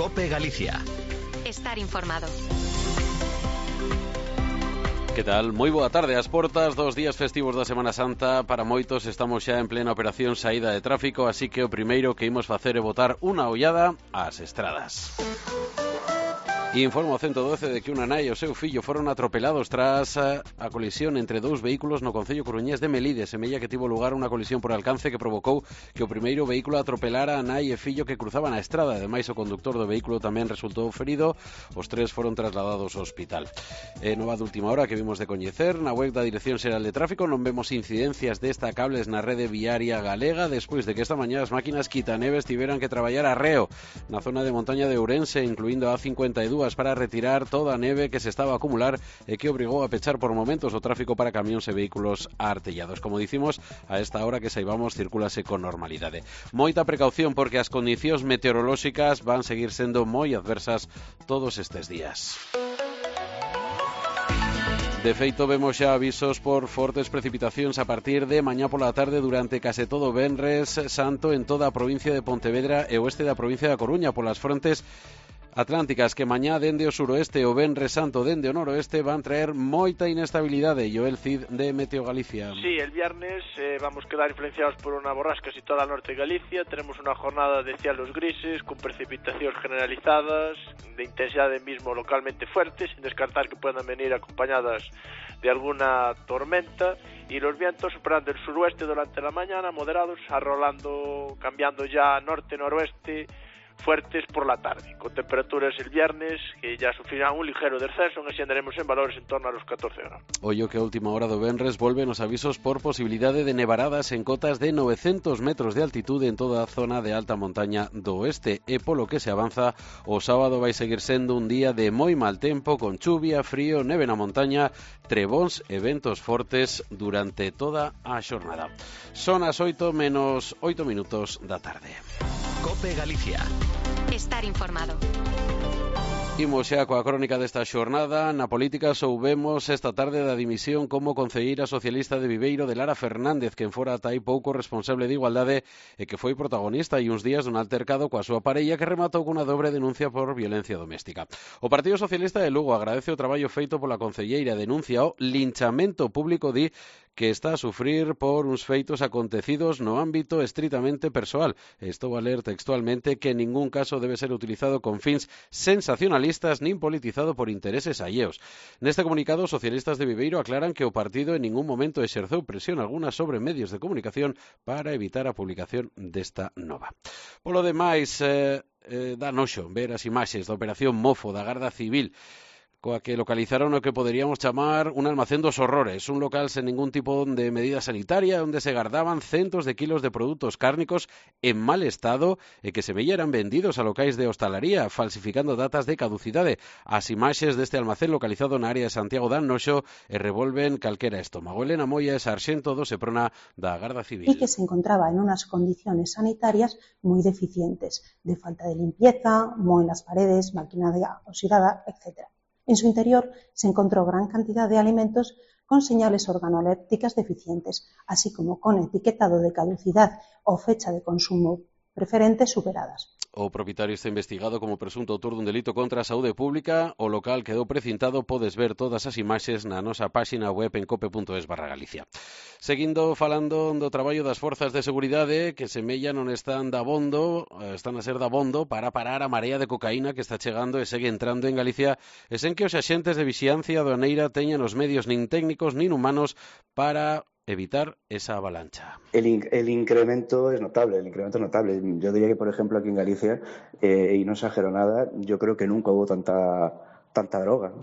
COPE Galicia. Estar informado. Que tal? Moi boa tarde. As portas dos días festivos da Semana Santa. Para moitos estamos xa en plena operación saída de tráfico, así que o primeiro que imos facer é botar unha ollada ás estradas. Informa o 112 de que unha nai e o seu fillo foron atropelados tras a colisión entre dous vehículos no concello coruñés de Melide. Semella que tivo lugar unha colisión por alcance que provocou que o primeiro vehículo atropelara a nai e fillo que cruzaban a estrada. Ademais, o conductor do vehículo tamén resultou ferido. Os tres foron trasladados ao hospital. Nova de última hora que vimos de coñecer, na web da Dirección Xeral de Tráfico non vemos incidencias destacables na rede viaria galega despois de que esta mañá as máquinas quitaneves tiveran que traballar a reo na zona de montaña de Ourense, incluindo a A52, para retirar toda a neve que se estaba a acumular e que obrigou a pechar por momentos o tráfico para camións e vehículos artellados. Como dicimos, a esta hora que saibamos circúlase con normalidade. Moita precaución porque as condicións meteorolóxicas van seguir sendo moi adversas todos estes días. De feito, vemos xa avisos por fortes precipitacións a partir de mañá pola tarde durante case todo o venres santo en toda a provincia de Pontevedra e oeste da provincia da Coruña polas frontes atlánticas que mañá dende o suroeste o venres santo dende o noroeste van traer moita inestabilidade. Joel Cid de Meteo Galicia. Sí, el viernes vamos quedar influenciados por unha borrasca situada al norte de Galicia. Tenemos unha jornada de cielos grises con precipitacións generalizadas de intensidade mismo localmente fuerte, sin descartar que puedan venir acompañadas de alguna tormenta, y los vientos superando el suroeste durante la mañana, moderados, arrolando, cambiando ya norte-noroeste, fuertes por la tarde, con temperaturas el viernes que ya sufrirán un ligero descenso, en así andaremos en valores en torno a los 14 grados. Ollo que a última hora do venres volven os avisos por posibilidade de nevaradas en cotas de 900 metros de altitude en toda a zona de alta montaña do oeste, e polo que se avanza o sábado vai seguir sendo un día de moi mal tempo, con chuvia, frío, neve na montaña, trebóns e ventos fortes durante toda a xornada. Son as 8 menos 8 minutos da tarde. COPE Galicia. Estar informado. Imos xa coa crónica desta xornada. Na política soubemos esta tarde da dimisión como concelleira socialista de Viveiro de Lara Fernández, quen fora ata aí pouco responsable de igualdade e que foi protagonista hai uns días dun altercado coa súa parella que rematou cunha dobre denuncia por violencia doméstica. O Partido Socialista de Lugo agradece o traballo feito pola concelleira, denuncia o linchamento público, di que está a sufrir por uns feitos acontecidos no ámbito estritamente persoal. Estou a ler textualmente que en ningún caso debe ser utilizado con fins sensacionalistas nin politizado por intereses alleos. Neste comunicado, os socialistas de Viveiro aclaran que o partido en ningún momento exerceu presión alguna sobre medios de comunicación para evitar a publicación desta nova. Polo demais, dá noxo ver as imaxes da operación Mofo da Garda Civil, coa que localizaron o que poderíamos chamar un almacén dos horrores, un local sen ningún tipo de medida sanitaria onde se gardaban centos de kilos de produtos cárnicos en mal estado e que se veían vendidos a locais de hostalaría, falsificando datas de caducidade. As imaxes deste almacén localizado na área de Santiago dan noxo e revolven calquera estómago. Elena Moya é sarxento do Seprona da Garda Civil. Y que se encontraba en unas condiciones sanitarias muy deficientes, de falta de limpieza, moho en las paredes, maquinaria oxidada, etc. En su interior se encontró gran cantidad de alimentos con señales organolépticas deficientes, así como con etiquetado de caducidad o fecha de consumo preferente superadas. O propietario está investigado como presunto autor dun delito contra a saúde pública. O local quedou precintado, podes ver todas as imaxes na nosa páxina web en cope.es/Galicia. Seguindo falando do traballo das forzas de seguridade que semella non están a ser dabondo para parar a marea de cocaína que está chegando e segue entrando en Galicia, e sen que os axentes de vixiancia aduaneira teñan os medios nin técnicos nin humanos para evitar esa avalancha. El incremento es notable, Yo diría que, por ejemplo, aquí en Galicia, y no exagero nada, yo creo que nunca hubo tanta droga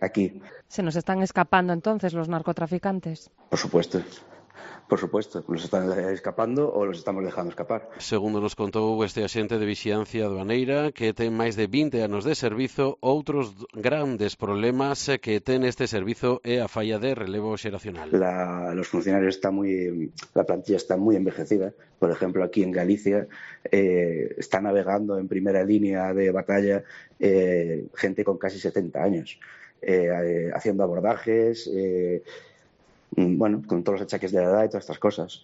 aquí. ¿Se nos están escapando entonces los narcotraficantes? Por supuesto, los están escapando o los estamos dejando escapar. Segundo nos contou este axente de vixiancia aduaneira que ten máis de 20 anos de servizo, outros grandes problemas que ten este servizo é a falla de relevo xeracional. Los funcionarios la plantilla está muy envejecida. Por ejemplo, aquí en Galicia está navegando en primera línea de batalla gente con casi 70 años, haciendo abordajes, bueno, con todos los achaques de la edad y todas estas cosas.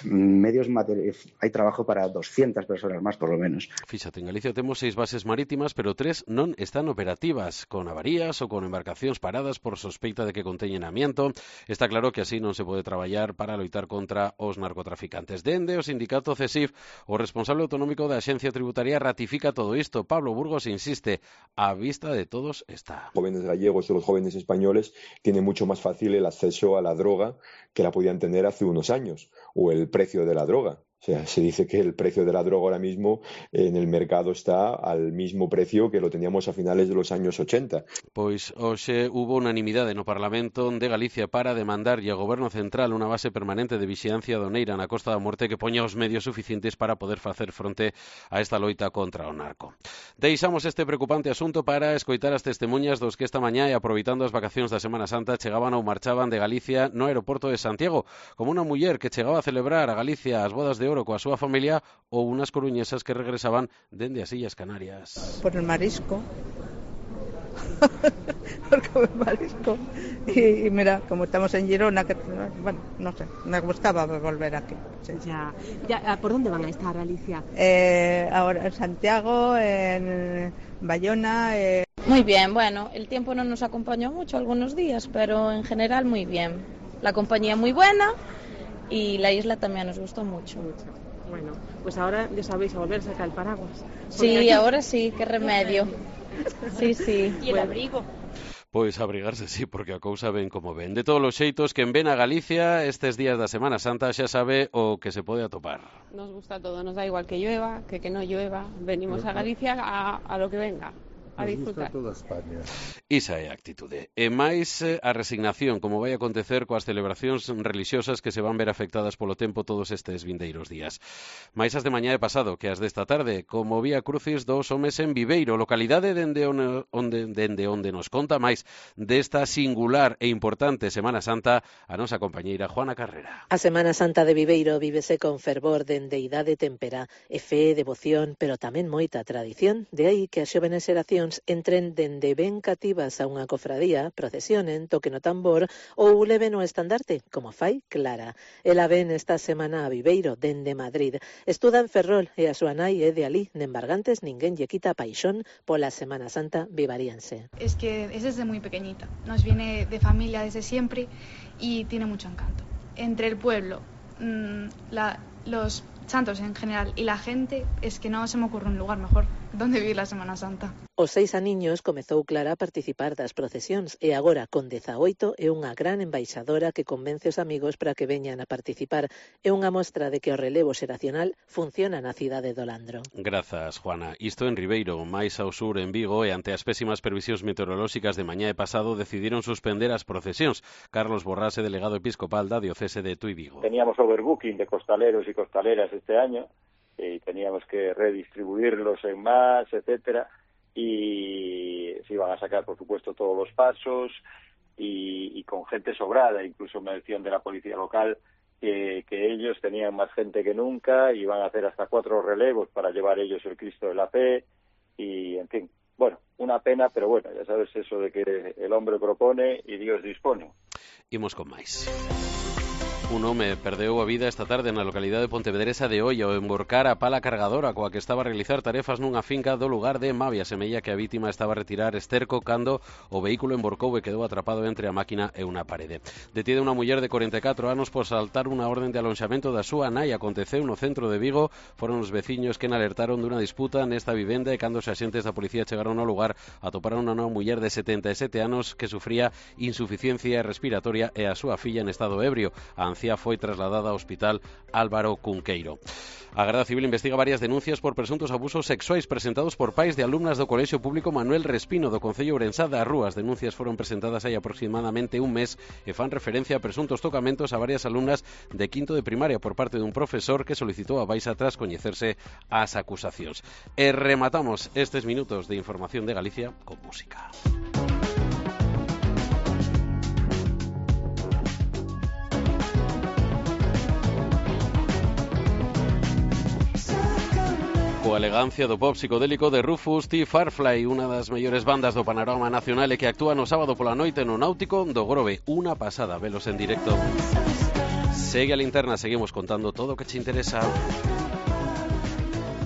Medios materiales, hay trabajo para 200 personas más, por lo menos. Fíxate, en Galicia temos 6 bases marítimas, pero 3 non están operativas, con avarías ou con embarcacións paradas por sospeita de que conteñen amianto. Está claro que así non se pode traballar para loitar contra os narcotraficantes. Dende o sindicato CESIF, o responsable autonómico da Axencia Tributaria ratifica todo isto. Pablo Burgos insiste, a vista de todos está. Jóvenes gallegos y los jóvenes españoles tienen mucho más fácil el acceso a la droga que la podían tener hace unos años, o el precio de la droga. O sea, se dice que el precio de la droga ahora mismo en el mercado está al mismo precio que lo teníamos a finales de los años 80. Pois hoxe hubo unanimidade no Parlamento de Galicia para demandarlle ao Goberno Central unha base permanente de vixilancia aduaneira na Costa da Morte que poña os medios suficientes para poder facer fronte a esta loita contra o narco. Deixamos este preocupante asunto para escoitar as testemunhas dos que esta mañá e aproveitando as vacacións da Semana Santa chegaban ou marchaban de Galicia no aeroporto de Santiago, como unha muller que chegaba a celebrar a Galicia as bodas de coa súa familia ou unas coruñesas que regresaban dende as Illas Canarias. Por el marisco. Por comer marisco. Y mira, como estamos en Girona, que bueno, no sé, me gustaba volver aquí. Sí. Ya, ¿por dónde van a estar, Alicia? Ahora en Santiago, en Bayona. Muy bien, bueno, el tiempo no nos acompañó mucho algunos días, pero en general muy bien. La compañía muy buena. Y la isla también nos gustó mucho. Bueno, pues ahora ya sabéis a volver a sacar el paraguas. Sí, aquí... ahora sí, qué remedio. Sí, sí. Y el abrigo. Pois abrigarse, sí, porque a cousa ven como ven. De todos os xeitos, quen ven a Galicia estes días da Semana Santa xa sabe o que se pode atopar. Nos gusta todo, nos da igual que llueva, que no llueva. Venimos a Galicia a lo que venga. A disfrutar. Toda España. Isa é a actitude. E máis a resignación, como vai acontecer coas celebracións religiosas que se van ver afectadas polo tempo todos estes vindeiros días. Mais as de mañá e pasado que as desta tarde, como Vía Crucis dos homes en Viveiro, localidade dende onde nos conta máis desta singular e importante Semana Santa a nosa compañeira Juana Carrera. A Semana Santa de Viveiro vívese con fervor dende idade tempera e fe, devoción, pero tamén moita tradición, de aí que as xovenes xeracións entren dende ben cativas a unha cofradía, procesionen, toquen o tambor ou leven o estandarte, como fai Clara. Ela ven esta semana a Viveiro, dende Madrid. Estuda en Ferrol e a súa nai é de alí. En Bargantes ninguén lle quita paixón pola Semana Santa vivariense. Es que es desde muy pequeñita. Nos viene de familia desde siempre y tiene mucho encanto. Entre el pueblo, los santos en general y la gente, es que no se me ocurre un lugar mejor donde vivir la Semana Santa. Os 6 aniños comezou Clara a participar das procesións e agora, con 18, é unha gran embaixadora que convence os amigos para que veñan a participar. É unha mostra de que o relevo xeracional funciona na cidade do Landro. Grazas, Juana. Isto en Ribeiro, máis ao sur en Vigo, e ante as pésimas previsións meteorolóxicas de mañá e pasado decidiron suspender as procesións. Carlos Borrase, delegado episcopal da diocese de Tui Vigo. Teníamos overbooking de costaleros y costaleras este año y teníamos que redistribuirlos en más, etcétera. Y se iban a sacar, por supuesto, todos los pasos y con gente sobrada. Incluso me decían de la policía local que ellos tenían más gente que nunca y iban a hacer hasta 4 relevos para llevar ellos el Cristo de la Fe y, en fin, bueno, una pena, pero bueno, ya sabes eso de que el hombre propone y Dios dispone. Imos con máis. Un home perdeu a vida esta tarde na localidade de Pontevedresa de Oia ao emborcar a pala cargadora coa que estaba a realizar tarefas nunha finca do lugar de Mavia. Semella que a vítima estaba a retirar esterco cando o vehículo emborcou e quedou atrapado entre a máquina e unha parede. Detida unha muller de 44 anos por saltar unha orden de alonxamento da súa nai. Aconteceu no centro de Vigo. Foron os veciños que alertaron dunha disputa nesta vivenda e cando os axentes da policía chegaron ao lugar atoparon unha muller de 77 anos que sufría insuficiencia respiratoria e a súa filla en estado ebrio. A anciá foi trasladada ao hospital Álvaro Cunqueiro. A Garda Civil investiga varias denuncias por presuntos abusos sexuais presentados por pais de alumnas do Colexio Público Manuel Respino do Concello Ourensá da Rúa. As denuncias foron presentadas hai aproximadamente un mes e fan referencia a presuntos tocamentos a varias alumnas de quinto de primaria por parte dun profesor que solicitou a baixa tras coñecerse as acusacións. E rematamos estes minutos de información de Galicia con música. coa elegancia do pop psicodélico de Rufus T. Firefly, unha das mellores bandas do panorama nacional e que actúa no sábado pola noite no Náutico do Grove. Unha pasada velos en directo. Segue a Linterna, seguimos contando todo o que che interesa.